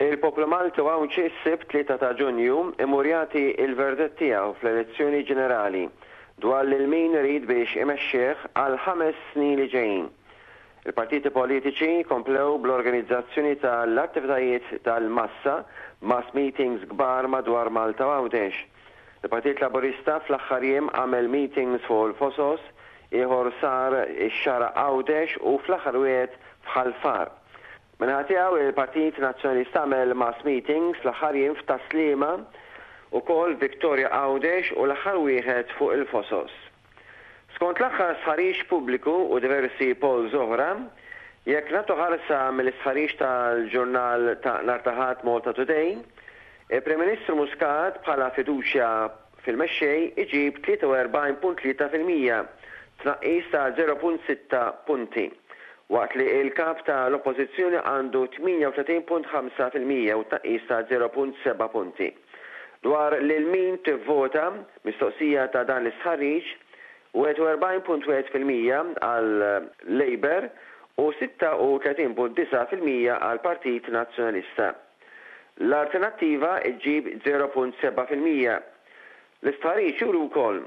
Il-poplu Malti u Għawdxi s-Sibt 3 ta' Ġunju imur jagħti l-verdett tiegħu fl-elezzjoni ġenerali dwar lil min irid biex imexxih għall-ħames snin li ġejjin. Il-partiti politiċi komplew bl-organizzazzjoni tal-attivitajiet tal-massa, mass meetings kbar madwar Malta u Għawdex. Il-Partit Laburista fl-aħħar jiem għamel meetings fuq il-Fosos, ieħor sar ix-Xagħra Għawdex u fl-aħħar wieħed f'Ħal Far. Min-naħa tiegħu, il-Partit Nazzjonalista għamel mass meetings fl-aħħar jiem f'Tas-Sliema, ukoll Victoria Għawdex u l-aħħar wieħed fuq il-Fosos. Skont l-aħħar stħarriġ pubbliku u diversi polls oħra, jekk nagħtu ħarsa mill-istħarriġ tal-ġurnal ta' nhar ta' Ħadd Malta Today, il-Prim Ministru Muscat bħala fiduċja fil-mexxej iġib 43.3%, tnaqqis ta' 0.6 punti, waqt li l-Kap ta' l-Oppożizzjoni għandu 38.5% u tnaqqis ta' 0.7 punti. Dwar lil min tivvota, mistoqsija ta' dan l-istħarriġ, 41.1% għal Labour u 36.9% għall-Partit Nazzjonalista. L-Alternattiva ġġib 0.7%. L-istħarriġ juri wkoll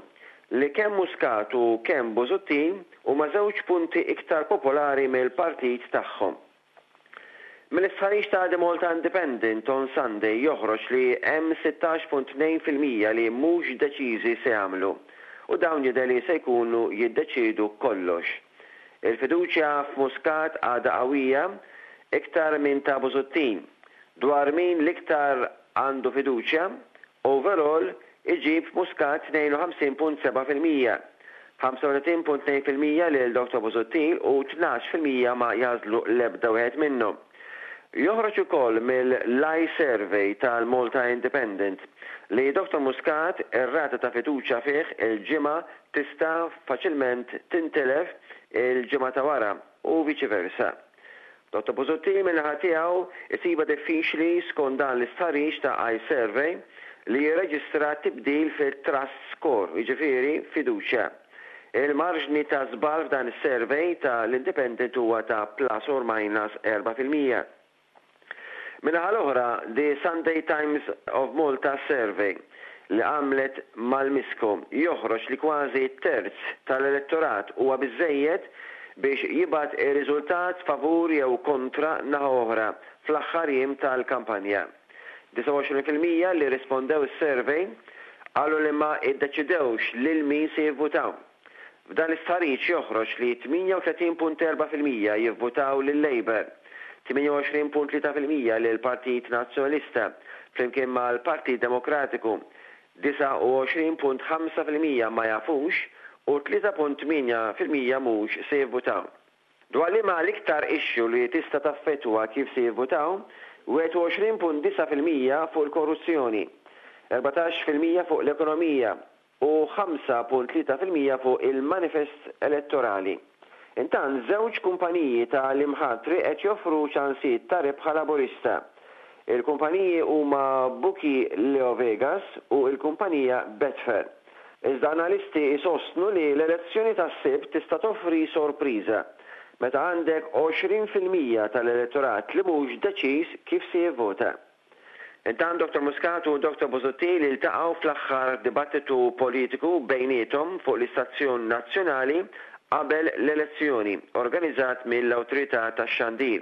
li kemm Muscat u kemm Busuttil huma żewġ punti iktar popolari mill-partit tagħhom. Mill-istħarriġ ta' The Malta Independent on Sunday joħroġ li hemm 16.2% li mhux deċiżi se jagħmlu u dawn jidher li se jkunu jiddeċiedu kollox. Il-fiduċja f'Muscat għadha qawwija iktar minn ta' Busuttil. Dwar min l-iktar għandu fiduċja, Overall, iġib Muscat 52.7%, 35.2% lil Dottor Busuttil u 12% ma jagħżlu l-ebda wieħed minnhom. Joħroġ ukoll mill-iSurvey tal-Malta Independent li Dottor Muscat ir-rata ta' fiduċja fih il-ġimgħa tista' faċilment tintilef il-ġimgħa ta' wara u viċi versa. Dottor Busuttil min-naħa tiegħu jsibha diffiċli skont dan l-istħarriġ ta' iSurvey li jirreġistra tibdil fit-trust score, jiġifieri fiduċja. Il-marġni ta' żball f'dan is-survey ta' l-Independent huwa ta' plus or minus 4%. Min-naħa l-oħra, The Sunday Times of Malta survey li għamlet mal-Misco joħroġ li kważi terz tal-elettorat huwa biżżejjed biex jibgħat ir-riżultat favur jew kontra naħa oħra fl-aħħar jiem tal-kampanja. 29% li rrispondew is-survey qalu li ma iddeċidewx lil min se jivvutaw. F'dan l-istħarriġ joħroġ li 38.4% jivvutaw lil-Labour, 28.3% lill-Partit Nazzjonalista, flimkien mal-Partit Demokratiku, 29.5% ma jafux u 3.8% mhux se jivvutaw. Dwar liema l-iktar issue li tista' taffettwa kif se jivvutaw, 21.9% fuq il-korruzzjoni, 14% fuq l-ekonomija, u 5.3% fuq il-manifest elettorali. Intant, żewġ kumpaniji ta' l-imħatri qed joffru ċansijiet ta' rebħa Laburista. Il-kumpaniji huma Bookie Leo Vegas u l-kumpanija Betfair. Iżda analisti jsostnu li l-elezzjoni tas-Sibt tista' toffri sorpriża, meta għandek 20% tal-elettorat li mhux deċiż kif se jivvota. Intant Dottor Muscat u Dottor Busuttil iltaqgħu fl-aħħar dibattitu politiku bejniethom fuq l-istazzjon nazzjonali qabel l-elezzjoni, organizzat mill-Awtorità tax-Xandir.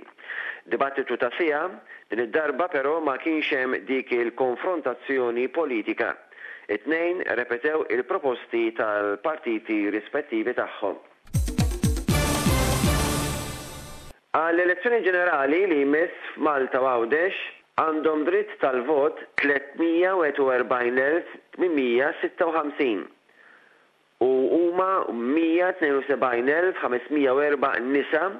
Dibattitu ta' siegħa, din id-darba però ma kienx hemm dik il-konfrontazzjoni politika. It-tnejn repetew il-proposti tal-partiti rispettivi tagħhom. Għall-elezzjoni ġenerali li jmiss f'Malta u Għawdex għandhom dritt tal-vot 341,856 u huma 172,504 nisa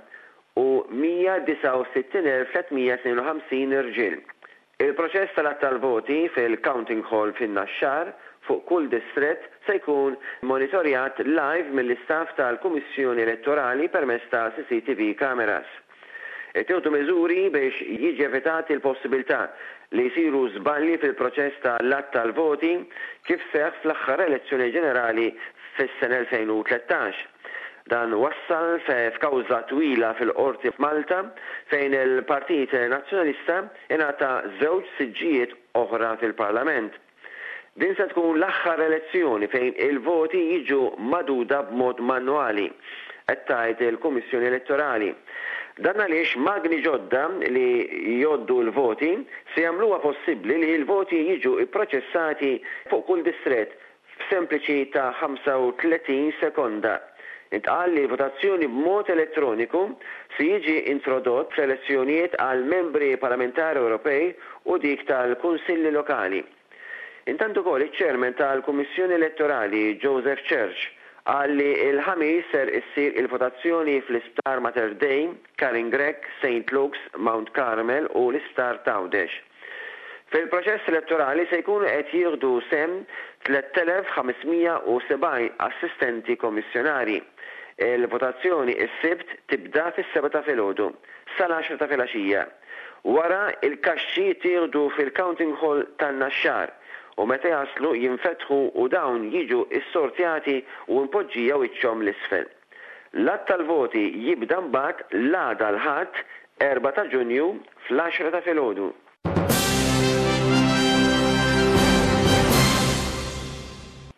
u 169,352 irġiel. Il-proċess tal-għadd tal-voti fil-Counting Hall fin-Naxxar fuq kull distrett se jkun monitorjat live mill-istaff tal-Kummissjoni Elettorali permezz ta' CCTV cameras. Ittieħdu miżuri biex jiġi evitat il-possibilità li jsiru żbalji fil-proċess ta' l-għadd tal-voti kif seħħ fl-aħħar elezzjoni ġenerali fis-sena 2013. Dan wassal f'kawża twila fil-Qorti f'Malta fejn il-Partit Nazzjonalista ingħata żewġ siġġijiet oħra fil-Parlament. Din se tkun l-aħħar elezzjoni fejn il-voti jiġu magħduda b'mod manwali, qed tgħid il-Kummissjoni Elettorali. Dan għaliex magni ġodda li jgħoddu l-voti se jagħmluha possibbli li l-voti jiġu pproċessati fuq kull distrett f'sempliċi ta' 35 sekonda. Intqal li l-votazzjoni b'mod elettroniku se jiġi introdott fl-elezzjonijiet għal Membri Parlamentari Ewropej u dik tal-Kunsilli Lokali. Intant ukoll iċ-Chairman tal-Kummissjoni Elettorali Joseph Church qal li l-Ħamis ser issir il-votazzjoni fl-Isptar Mater Dei, Karin Grech, Saint Luke's, Mount Carmel u l-Isptar t'Għawdex. Fil-proċess elettorali se jkunu qed jieħdu sehem 3,570 assistenti kommissjonarji. Il-votazzjoni s-Sibt tibda fis-sebgħa ta' filgħodu sal-għaxra ta' filgħaxija. Wara, il-kaxxi jittieħdu fil-Counting Hall tan-Naxxar u meta jaslu jinfetħu u dawn jiġu ssortjati u mpoġġija wiċċhom 'l isfel. L-għadd tal-voti jibda mbagħad l-għada l-Ħadd, 4 ta' Ġunju, fl-għaxra ta' filgħodu.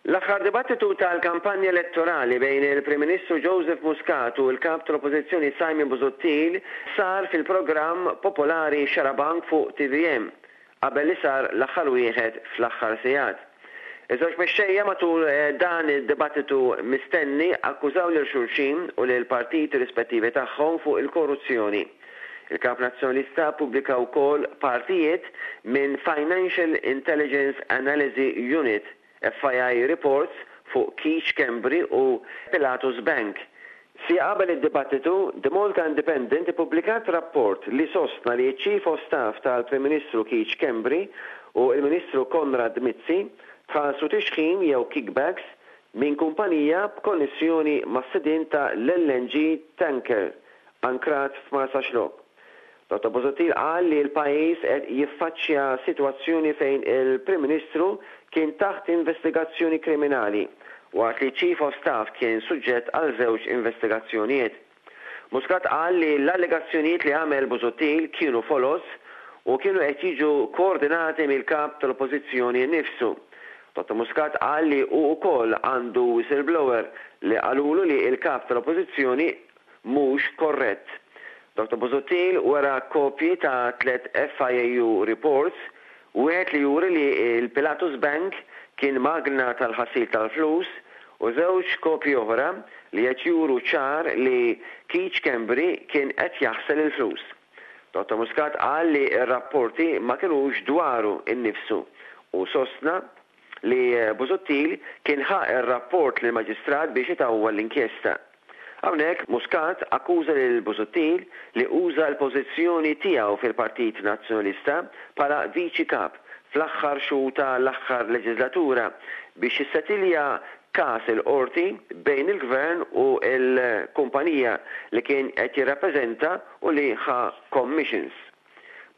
L-aħħar dibattitu tal-kampanja elettorali bejn il-Prim Ministru Joseph Muscat u l-Kap tal-Oppożizzjoni Simon Busuttil sar fil-programm popolari Xarabank fuq tvm, qabel li sar l-aħħar wieħed fl-aħħar sigħat. Iż-żewġ mexxejja matul dan id-dibattitu mistenni akkużaw lil xulxin u lill-partiti rispettivi tagħhom fuq il-korruzzjoni. Il-Kap Nazzjonalista ppubblika wkoll partijiet minn Financial Intelligence Analysi Unit, FII reports fuq Keith Schembri u Pilatus Bank. Siegħa qabel id-dibattitu, The Malta Independent ippubblikat rapport li sostna li ċ-Chief of Staff tal-Prim Ministru Keith Schembri u l-Ministru Konrad Mizzi tħallsu tixħim jew kickbacks minn kumpanija b'konnessjoni mas-sidien ta' l-LNG tanker ankrat f'Marsaxlokk. Dottor Busuttil qal li l-pajjiż qed jiffaċċja sitwazzjoni fejn il-Prim Ministru kien taħt investigazzjoni kriminali, waqt li ċ-Chief of Staff kien suġġett għal żewġ investigazzjonijiet. Muscat qal li l-allegazzjonijiet li għamel Busuttil kienu foloz u kienu qed jiġu koordinati mill-Kap tal-Oppożizzjoni nnifsu. Dottor Muscat qal li hu wkoll għandu whistleblower li qalulu li l-Kap tal-Oppożizzjoni mhux korrett. Dottor Busuttil wera kopji ta' tlett FIAU reports, wieħed li juri li l-Pilatus Bank kien magna tal-ħasil tal-flus u żewġ kopji oħra li qed juru ċar li Keith Schembri kien qed jaħsel il-flus. Dottor Muscat qal li r-rapporti ma kinux dwaru nnifsu u sostna li Busuttil kien ħa r-rapport lill-Maġistrat biex itawwal l-inkjesta. Hawnhekk Muscat akkuża lil Busuttil li uża l-pożizzjoni tiegħu fil-Partit Nazzjonalista bħala Viċi Kap fl-aħħar xhur ta' l-aħħar leġiżlatura biex jissetilja każ il-Qorti bejn il-Gvern u l-kumpanija li kien qed jirrappreżenta u li ħa commissions.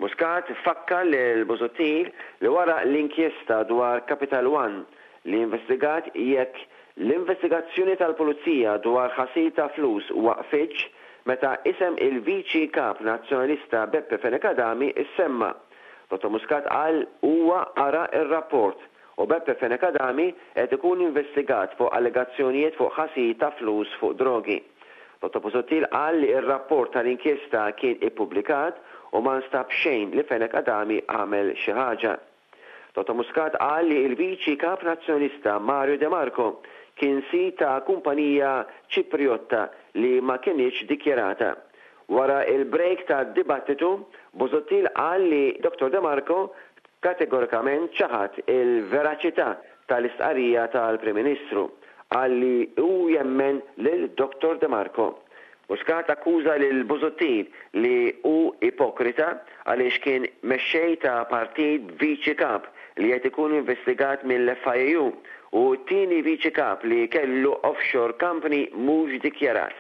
Muscat fakkar lil Busuttil li wara l-inkjesta dwar Capital One li investigat jekk l-investigazzjoni tal-Pulizija dwar ħasil ta' flus waqfitx meta isem il-Viċi Kap Nazzjonalista Beppe Fenech Adami ssemma. Dottor Muscat qal huwa qara r-rapport u Beppe Fenech Adami qed ikun investigat fuq allegazzjonijiet fuq ħasil ta' flus fuq drogi. Dottor Busuttil qal li r-rapport tal-inkjesta kien ippubblikat u ma nstab xejn li Fenech Adami għamel xi ħaġa. Dottor Muscat qal li l-Viċi Kap Nazzjonalista Mario De Marco kien sid ta' kumpanija Ċipriotta li ma kinitx dikjarata. Wara l-break tad-dibattitu, Busuttil qal li Dottor De Marco kategorikament ċaħad il-veraċità tal-istqarrija tal-Prim Ministru. Qal li hu jemmen lil Dottor De Marco. Muscat akkuża lil Busuttil li hu ipokrita għaliex kien mexxej ta' partit b'Viċi Kap li qed ikun investigat mill-FIAU u t-tieni Viċi Kap li kellu offshore company mhux dikjarat.